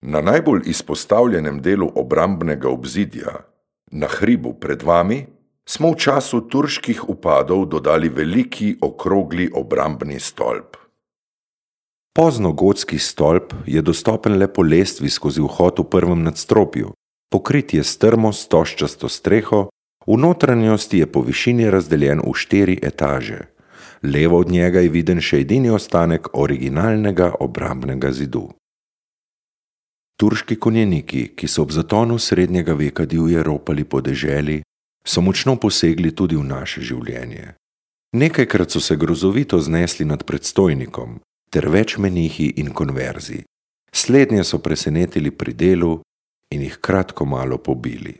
Na najbolj izpostavljenem delu obrambnega obzidja, na hribu pred vami, smo v času turških vpadov dodali veliki okrogli obrambni stolp. Poznogotski stolp je dostopen le po lestvi skozi vhod v prvem nadstropju, pokrit je s trmo stožčasto streho, v notranjosti je po višini razdeljen v 4 etaže. Levo od njega je viden še edini ostanek originalnega obrambnega zidu. Turški konjeniki, ki so ob zatonu srednjega veka divje ropali po deželi, so močno posegli tudi v naše življenje. Nekajkrat so se grozovito znesli nad predstojnikom, ter več menihi in konverzi. Slednje so presenetili pri delu in jih kratko malo pobili.